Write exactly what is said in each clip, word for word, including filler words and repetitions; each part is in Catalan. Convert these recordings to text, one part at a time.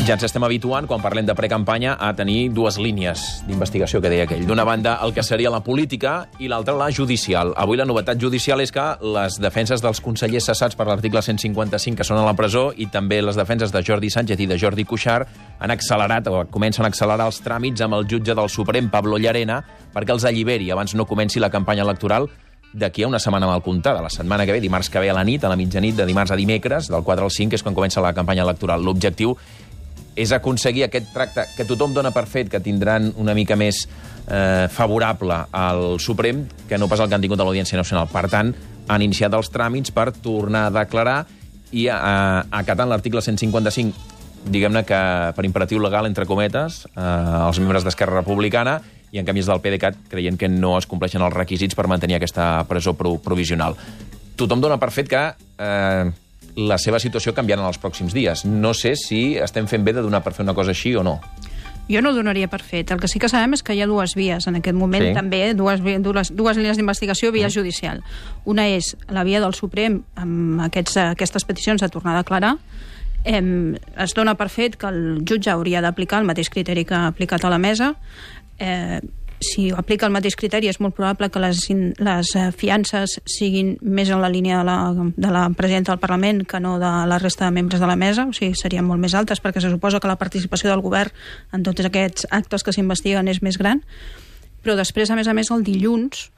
Ja ens estem habituant, quan parlem de precampanya, a tenir dues línies d'investigació, que deia aquell. D'una banda, el que seria la política, i l'altra, la judicial. Avui la novetat judicial és que les defenses dels consellers cessats per l'article cent cinquanta-cinc, que són a la presó, i també les defenses de Jordi Sánchez i de Jordi Cuixart, han accelerat, o comencen a accelerar els tràmits amb el jutge del Suprem, Pablo Llarena, perquè els alliberi abans no comenci la campanya electoral d'aquí a una setmana mal comptada. La setmana que ve, dimarts que ve a la nit, a la mitjanit, de dimarts a dimecres, del quatre al cinc, és quan comença la campanya electoral. L'objectiu és aconseguir aquest tracte que tothom dona per fet, que tindran una mica més eh, favorable al Suprem, que no pas el que han tingut a l'Audiència Nacional. Per tant, han iniciat els tràmits per tornar a declarar i, eh, acatant l'article cent cinquanta-cinc, diguem-ne que per imperatiu legal, entre cometes, eh, els membres d'Esquerra Republicana, i en canvi els del PDeCAT creient que no es compleixen els requisits per mantenir aquesta presó provisional. Tothom dona per fet que eh, la seva situació canviarà en els pròxims dies. No sé si estem fent bé de donar per fer una cosa així o no. Jo no ho donaria per fet. El que sí que sabem és que hi ha dues vies en aquest moment, sí. també, dues, dues, dues línies d'investigació, via mm. judicial. Una és la via del Suprem, amb aquests, aquestes peticions de tornar a declarar. Eh, es dona per fet que el jutge hauria d'aplicar el mateix criteri que ha aplicat a la mesa. Eh, si aplica el mateix criteri, és molt probable que les, les fiances siguin més en la línia de la, de la presidenta del Parlament que no de la resta de membres de la mesa, o sigui, serien molt més altes, perquè se suposa que la participació del govern en tots aquests actes que s'investiguen és més gran. Però després, a més a més, el dilluns,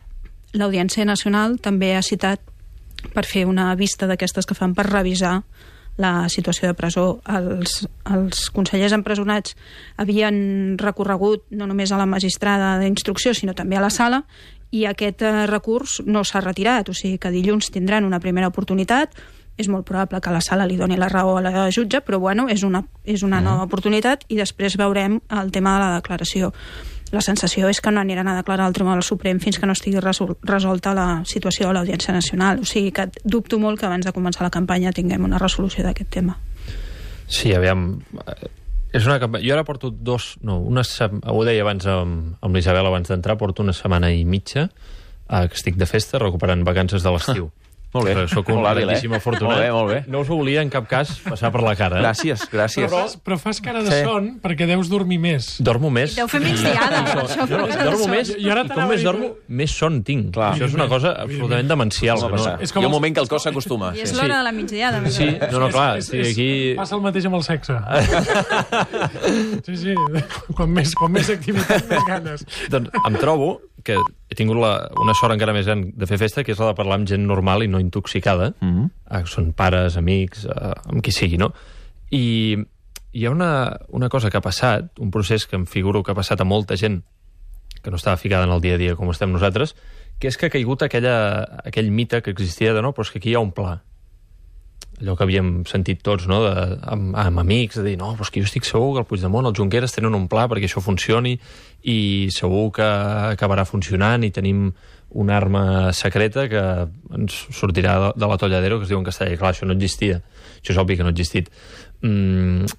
l'Audiència Nacional també ha citat per fer una vista d'aquestes que fan per revisar la situació de presó. Els, els consellers empresonats havien recorregut no només a la magistrada d'instrucció, sinó també a la sala, i aquest eh, recurs no s'ha retirat, o sigui que dilluns tindran una primera oportunitat. És molt probable que la sala li doni la raó a la jutge, però bueno, és una, és una mm. nova oportunitat, i després veurem el tema de la declaració. La sensació és que no aniran a declarar al Tribunal Suprem fins que no estigui resol resolta la situació de l'Audiència Nacional. O sigui que dubto molt que abans de començar la campanya tinguem una resolució d'aquest tema. Sí, aviam... És una campanya... Jo ara porto dos... No, una sem... ho deia abans amb, amb l'Isabel abans d'entrar, porto una setmana i mitja eh, que estic de festa recuperant vacances de l'estiu. Molt bé. Soc un grandíssim eh? afortunat. Molt bé, molt bé. No us ho volia en cap cas passar per la cara. Gràcies, gràcies. Però, però fas cara de sí. son perquè deus dormir més. Dormo més. Deu fer migdiada, per això. Jo, jo dormo més, i, i com més dormo, més son tinc. Clar. Això és una cosa absolutament demencial. No, no. És com Hi ha un moment que el cos s'acostuma. I és sí. l'hora de la migdiada. Sí, no, no, clar. És, és, sí, aquí... Passa el mateix amb el sexe. Sí, sí. Quan més, quan més activitat, més ganes. Doncs em trobo que he tingut la, una sort encara més gran de fer festa, que és la de parlar amb gent normal i no intoxicada. Mm-hmm. eh, són pares, amics, eh, amb qui sigui, no? I hi ha una, una cosa que ha passat, un procés que em figuro que ha passat a molta gent que no estava ficada en el dia a dia com estem nosaltres, que és que ha caigut aquella, aquell mite que existia de no, però és que aquí hi ha un pla. Allò que havíem sentit tots, no, de, amb, amb amics, de dir, no, però és que jo estic segur que el Puigdemont, el Junqueras tenen un pla perquè això funcioni i segur que acabarà funcionant i tenim una arma secreta que ens sortirà de, de la tolladero, que es diu en castellà. I clar, això no existia. Això és obvi que no ha existit. Mm,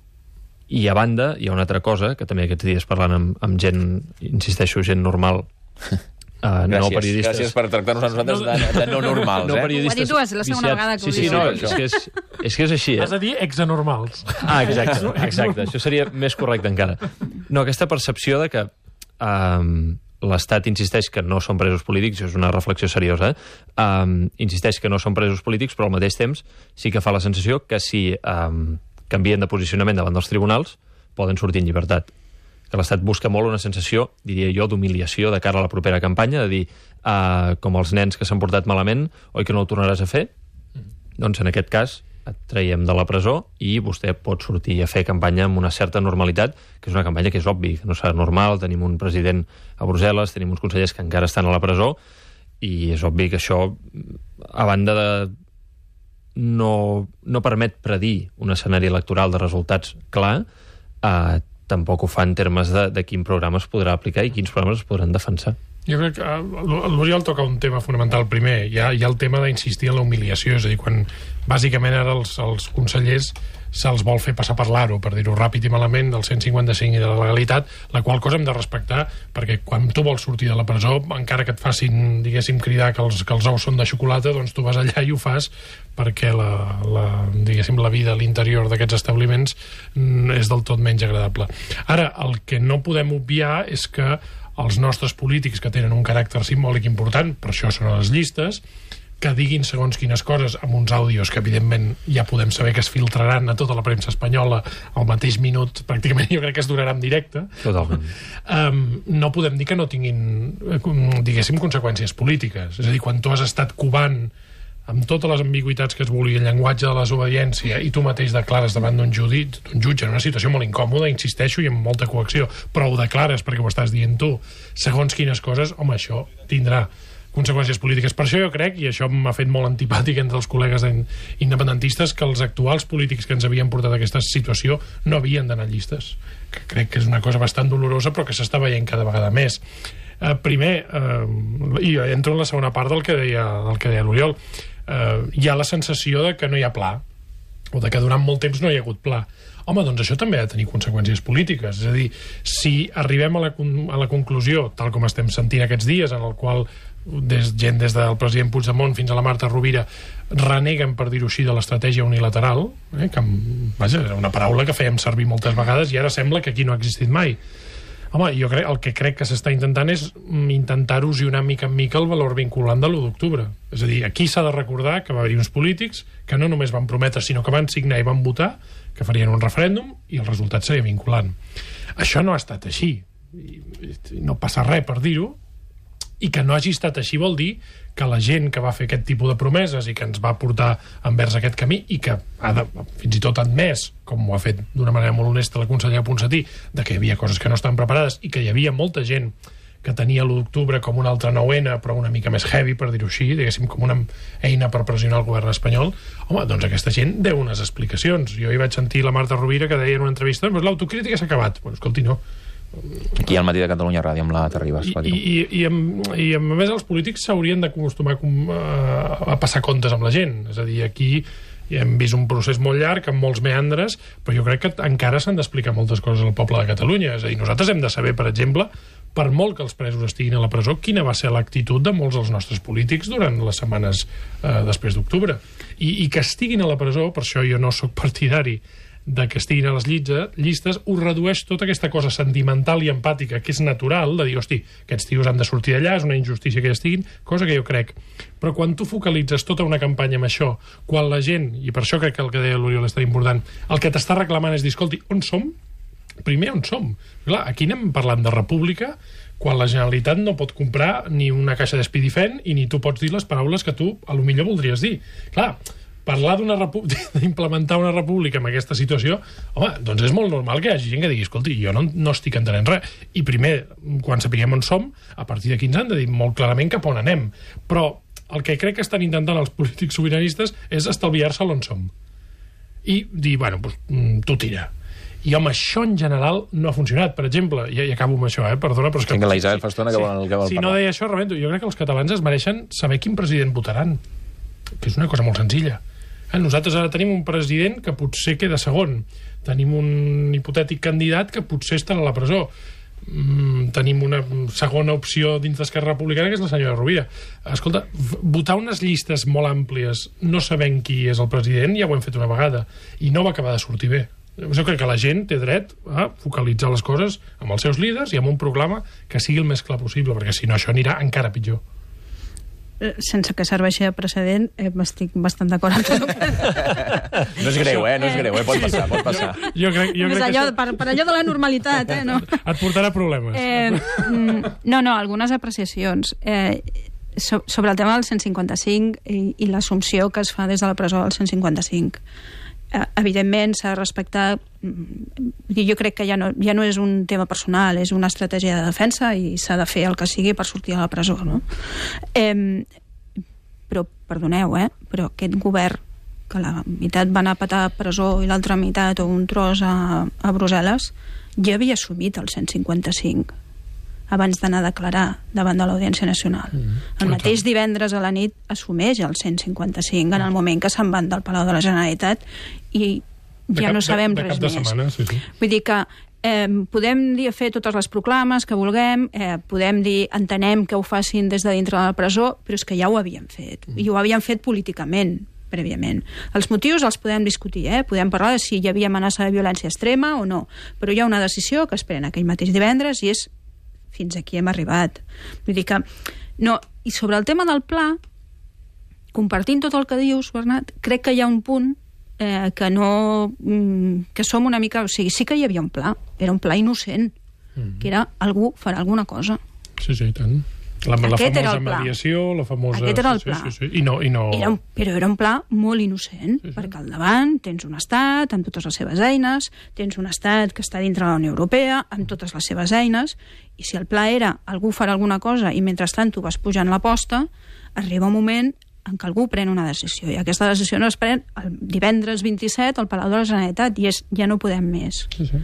I a banda, hi ha una altra cosa, que també aquests dies parlant amb, amb gent, insisteixo, gent normal, Uh, gràcies, no periodistes. Gràcies per tractar-nos a nosaltres de, de no normals. No eh? periodistes. Ho ha dit tu, és la segona viciats. vegada que ho sí, sí, dius. no, és, que és, és que és així. Has de dir exanormals. Ah, exacte, exacte. Això seria més correcte encara. No, aquesta percepció de que um, l'Estat insisteix que no són presos polítics, això és una reflexió seriosa, eh? um, insisteix que no són presos polítics, però al mateix temps sí que fa la sensació que si um, canvien de posicionament davant dels tribunals poden sortir en llibertat. Que l'Estat busca molt una sensació, diria jo, d'humiliació de cara a la propera campanya, de dir, uh, com els nens que s'han portat malament, oi que no ho tornaràs a fer? Mm. Doncs en aquest cas et traiem de la presó i vostè pot sortir a fer campanya amb una certa normalitat, que és una campanya que és obvi, que no serà normal. Tenim un president a Brussel·les, tenim uns consellers que encara estan a la presó, i és obvi que això, a banda de no, no permet predir un escenari electoral de resultats clar, eh, tampoc ho fa en termes de, de quin programa es podrà aplicar i quins programes es podran defensar. Jo crec que l'Oriol toca un tema fonamental primer. Hi ha, hi ha el tema d'insistir en la humiliació, és a dir, quan bàsicament ara els, els consellers se'ls vol fer passar per l'aro, per dir-ho ràpid i malament, del cent cinquanta-cinc i de la legalitat, la qual cosa hem de respectar, perquè quan tu vols sortir de la presó, encara que et facin, diguéssim, cridar que els, que els ous són de xocolata, doncs tu vas allà i ho fas perquè la, la, diguéssim, la vida a l'interior d'aquests establiments és del tot menys agradable. Ara, el que no podem obviar és que els nostres polítics, que tenen un caràcter simbòlic important, per això són a les llistes, que diguin segons quines coses amb uns àudios que evidentment ja podem saber que es filtraran a tota la premsa espanyola al mateix minut, pràcticament jo crec que es durarà en directe. Totalment. Um, no podem dir que no tinguin, diguéssim, conseqüències polítiques. És a dir, quan tu has estat covant amb totes les ambigüitats que es vulgui, el llenguatge de la desobediència, i tu mateix declares davant d'un jutge, d'un jutge en una situació molt incòmoda, insisteixo, i amb molta coacció, però ho declares perquè ho estàs dient tu, segons quines coses, home, això tindrà conseqüències polítiques. Per això jo crec, i això m'ha fet molt antipàtic entre els col·legues independentistes, que els actuals polítics que ens havien portat a aquesta situació no havien d'anar llistes. Que crec que és una cosa bastant dolorosa, però que s'està veient cada vegada més. Eh, primer, eh, i entro en la segona part del que deia, del que deia l'Oriol, eh, hi ha la sensació de que no hi ha pla, o de que durant molt temps no hi ha hagut pla. Home, doncs això també ha de tenir conseqüències polítiques. És a dir, si arribem a la, a la conclusió, tal com estem sentint aquests dies, en el qual des, gent des del president Puigdemont fins a la Marta Rovira reneguen, per dir-ho així, de l'estratègia unilateral, eh, que, vaja, era una paraula que fèiem servir moltes vegades i ara sembla que aquí no ha existit mai. Home, jo crec, el que crec que s'està intentant és intentar erosionar mica en mica el valor vinculant de l'u d'octubre. És a dir, aquí s'ha de recordar que va haver-hi uns polítics que no només van prometre, sinó que van signar i van votar que farien un referèndum i el resultat seria vinculant. Això no ha estat així. No passa res per dir-ho, i que no hagi estat així vol dir que la gent que va fer aquest tipus de promeses i que ens va portar envers aquest camí i que ha de, fins i tot admès, com ho ha fet d'una manera molt honesta la consellera Ponsatí, de que hi havia coses que no estan preparades i que hi havia molta gent que tenia l'u d'octubre com un altre nou ene, però una mica més heavy, per dir-ho així, diguéssim, com una eina per pressionar el govern espanyol, home, doncs aquesta gent deu unes explicacions. Jo hi vaig sentir la Marta Rovira que deia en una entrevista, doncs l'autocrítica s'ha acabat. Bueno, escolti, no. Aquí al Matí de Catalunya Ràdio amb la Terribas. I, i, i, amb, i a més els polítics s'haurien d'acostumar a, a passar comptes amb la gent. És a dir, aquí hem vist un procés molt llarg, amb molts meandres, però jo crec que encara s'han d'explicar moltes coses al poble de Catalunya. És a dir, nosaltres hem de saber, per exemple, per molt que els presos estiguin a la presó, quina va ser l'actitud de molts dels nostres polítics durant les setmanes eh, després d'octubre. I, I que estiguin a la presó, per això jo no sóc partidari de que estiguin a les llistes, ho redueix tota aquesta cosa sentimental i empàtica que és natural, de dir, hosti, aquests tios han de sortir d'allà, és una injustícia que ja estiguin, cosa que jo crec. Però quan tu focalitzes tota una campanya amb això, quan la gent, i per això crec que el que deia l'Oriol és tan important, el que t'està reclamant és dir, escolti, on som? Primer, on som? Clar, aquí anem parlant de república, quan la Generalitat no pot comprar ni una caixa d'Espidifent i ni tu pots dir les paraules que tu a lo millor voldries dir. Clar, parlar d'una d'implementar una república en aquesta situació, home, doncs és molt normal que hi hagi gent que digui, escolti, jo no, no estic entenent res. I primer, quan sapiguem on som, a partir d'aquí ens han de dir molt clarament cap on anem. Però el que crec que estan intentant els polítics sobiranistes és estalviar-se l'on som. I dir, bueno, doncs, tu tira. I, home, això en general no ha funcionat. Per exemple, i, i acabo amb això, eh? Perdona, però és que... Tinc la Isabel Fastona que, sí, vol, que vol si parlar. Si no deia això, rebento. Jo crec que els catalans es mereixen saber quin president votaran, que és una cosa molt senzilla. Eh? Nosaltres ara tenim un president que potser queda segon. Tenim un hipotètic candidat que potser estarà a la presó. Mm, tenim una segona opció dins d'Esquerra Republicana, que és la senyora Rovira. Escolta, votar unes llistes molt àmplies no sabent qui és el president, ja ho hem fet una vegada, i no va acabar de sortir bé. Jo crec que la gent té dret a focalitzar les coses amb els seus líders i amb un programa que sigui el més clar possible, perquè si no això anirà encara pitjor. Sense que serveixi de precedent, eh, estic bastant d'acord amb tu. No és greu, eh? No és greu, eh? Pot passar, pot passar. Jo crec, jo crec allò, que... per, per allò de la normalitat, eh? No. Et portarà problemes. Eh, no, no, algunes apreciacions. Eh, so, sobre el tema del cent cinquanta-cinc i, i l'assumpció que es fa des de la presó del cent cinquanta-cinc. Evidentment s'ha de respectar, jo crec que ja no, ja no és un tema personal, és una estratègia de defensa i s'ha de fer el que sigui per sortir a la presó, no? Eh, però, perdoneu, eh? Però aquest govern, que la meitat va anar a petar a presó i l'altra meitat o un tros a, a Brussel·les, ja havia assumit el cent cinquanta-cinc. abans d'anar a declarar davant de l'Audiència Nacional. Mm. El mateix divendres a la nit assumeix el cent cinquanta-cinc en el moment que se'n van del Palau de la Generalitat i ja cap, no sabem de, de res cap de més. Setmana, sí, sí. Vull dir que eh, podem dir fer totes les proclames que vulguem, eh, podem dir entenem que ho facin des de dintre de la presó, però és que ja ho havien fet. Mm. I ho havien fet políticament, prèviament. Els motius els podem discutir, eh? Podem parlar de si hi havia amenaça de violència extrema o no, però hi ha una decisió que es pren aquell mateix divendres i és fins aquí hem arribat. Vull dir que... No, i sobre el tema del pla, compartint tot el que dius, Bernat, crec que hi ha un punt eh, que no... que som una mica... O sigui, sí que hi havia un pla, era un pla innocent, mm-hmm. que era algú farà alguna cosa. Sí, sí, i tant. La, la Aquest famosa mediació, la famosa... Aquest era el sí, pla. Sí, sí, sí. I no, i no... Era un, però era un pla molt innocent, sí, sí. perquè al davant tens un estat amb totes les seves eines, tens un estat que està dintre de la Unió Europea amb totes les seves eines, i si el pla era algú farà alguna cosa i mentrestant tu vas pujant la posta, arriba un moment en què algú pren una decisió, i aquesta decisió no es pren el divendres vint-i-set al Palau de la Generalitat, i és, ja no podem més. Sí, sí.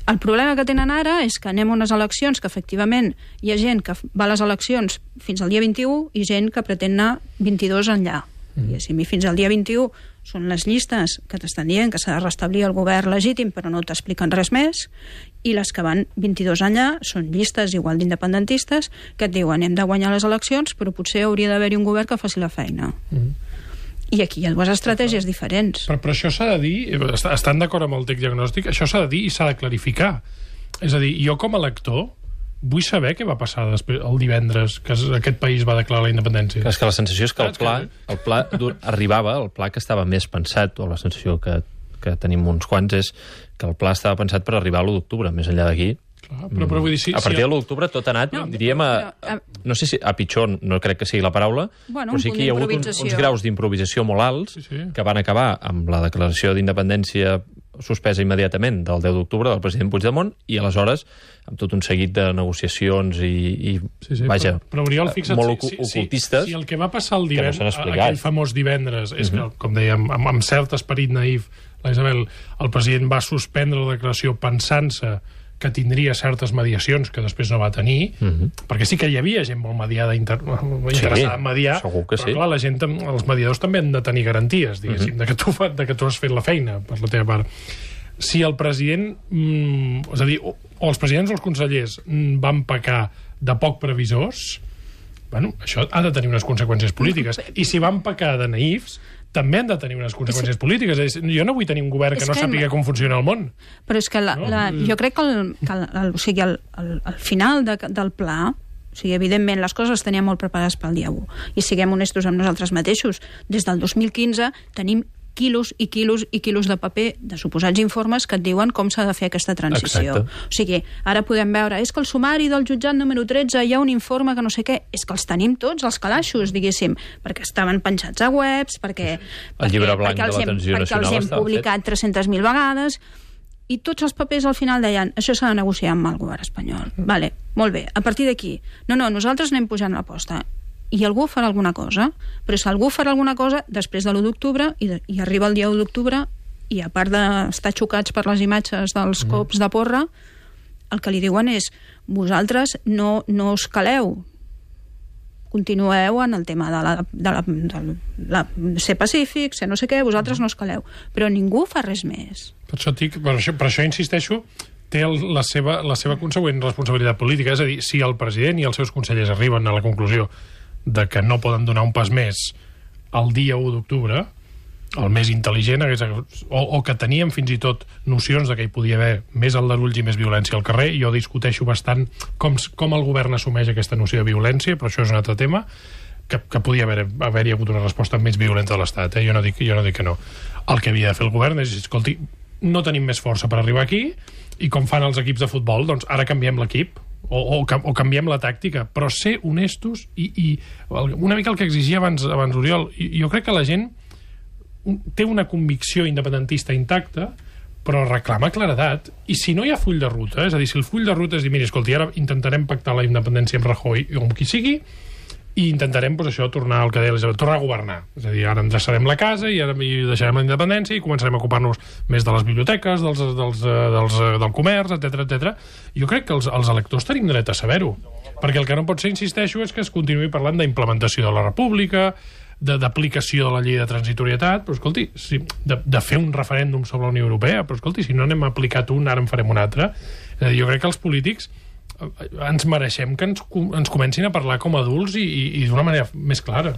El problema que tenen ara és que anem a unes eleccions que efectivament hi ha gent que va a les eleccions fins al dia vint-i-u i gent que pretén anar vint-i-dos enllà. Mm. I si fins al dia vint-i-u són les llistes que t'estan dient que s'ha de restablir el govern legítim però no t'expliquen res més, i les que van vint-i-dos enllà són llistes igual d'independentistes que et diuen hem de guanyar les eleccions però potser hauria d'haver-hi un govern que faci la feina. Mm. I aquí hi ha dues estratègies diferents. Però, però això s'ha de dir, estan d'acord amb el tec diagnòstic, això s'ha de dir i s'ha de clarificar. És a dir, jo com a lector vull saber què va passar després, el divendres que aquest país va declarar la independència. És que la sensació és que el pla, el pla arribava, el pla que estava més pensat, o la sensació que, que tenim uns quants, és que el pla estava pensat per arribar a l'u d'octubre. Més enllà d'aquí, clar, però, però vull dir, sí, a partir sí, de l'u d'octubre tot ha anat, no, diríem, a, a, no sé si a pitjor, no crec que sigui la paraula, bueno, però sí que hi ha hagut uns, uns graus d'improvisació molt alts, sí, sí. que van acabar amb la declaració d'independència suspesa immediatament del deu d'octubre del president Puigdemont, i aleshores amb tot un seguit de negociacions i, i sí, sí, vaja, però, però Oriol, fixa't, molt si, ocultistes. Si, si el que va passar el divendres, no aquell famós divendres, és uh -huh. que, com dèiem, amb, amb cert esperit naïf, la Isabel, el president va suspendre la declaració pensant-se que tindria certes mediacions que després no va tenir, uh -huh. perquè sí que hi havia gent molt mediada, inter... interessada sí, en mediar, segur que però sí. clar, la gent, els mediadors també han de tenir garanties, diguéssim, uh -huh. de, que tu fa, de que tu has fet la feina per la teva part. Si el president, mm, és a dir, o, o els presidents o els consellers mm, van pecar de poc previsors, bueno, això ha de tenir unes conseqüències polítiques. I si van pecar de naïfs, també han de tenir unes conseqüències polítiques. És, jo no vull tenir un govern que no sàpiga com funciona el món. Però és que la, no? la, jo crec que, el, que el, el, o sigui, el, el, el final de, del pla, o sigui, evidentment, les coses les teníem molt preparades pel dia u. I siguem honestos amb nosaltres mateixos. Des del dos mil quinze tenim quilos i quilos i quilos de paper de suposats informes que et diuen com s'ha de fer aquesta transició. Exacte. O sigui, ara podem veure, és que el sumari del jutjat número tretze hi ha un informe que no sé què, és que els tenim tots, els calaixos, diguéssim, perquè estaven penjats a webs, perquè... El llibre blanc perquè de la transició nacional perquè els hem publicat tres-centes mil vegades, i tots els papers al final deien això s'ha de negociar amb el govern espanyol. Mm. Vale, molt bé, a partir d'aquí, no, no, nosaltres anem pujant l'aposta, i algú farà alguna cosa, però si algú farà alguna cosa després de l'u d'octubre i, de, i arriba el dia u d'octubre i a part d'estar xocats per les imatges dels cops de porra, el que li diuen és vosaltres no, no us caleu, continueu en el tema de, la, de, la, de la, ser pacífic, ser no sé què, vosaltres no us caleu, però ningú fa res més. Per això, dic, per això, per això insisteixo, té el, la, seva, la seva consegüent responsabilitat política, és a dir, si el president i els seus consellers arriben a la conclusió de que no poden donar un pas més el dia u d'octubre, el més intel·ligent hagués, o, o que teníem fins i tot nocions de que hi podia haver més aldarulls i més violència al carrer. Jo discuteixo bastant com, com el govern assumeix aquesta noció de violència, però això és un altre tema, que, que podia haver, haver-hi hagut una resposta més violenta de l'Estat, eh? jo, no dic, jo no dic que no. El que havia de fer el govern és, escolti, no tenim més força per arribar aquí, i com fan els equips de futbol, doncs ara canviem l'equip, O, o, o canviem la tàctica, però ser honestos i, i una mica el que exigia abans, abans Oriol, i jo crec que la gent té una convicció independentista intacta, però reclama claredat, i si no hi ha full de ruta, és a dir, si el full de ruta és dir, mira, escolti, ara intentarem pactar la independència amb Rajoy o amb qui sigui, i intentarem, doncs, això, tornar al que deia l'Isabel, tornar a governar. És a dir, ara endreçarem la casa i ara i deixarem la independència i començarem a ocupar-nos més de les biblioteques, dels, dels, dels, del comerç, etcètera, etcètera. Jo crec que els, els electors tenim dret a saber-ho, perquè el que no pot ser, insisteixo, és que es continuï parlant d'implementació de la república, d'aplicació de, de la llei de transitorietat, però escolti, si, de, de fer un referèndum sobre la Unió Europea, però escolti, si no n'hem aplicat un, ara en farem un altre. És a dir, jo crec que els polítics ens mereixem que ens, ens comencin a parlar com a adults i, i, i d'una manera més clara.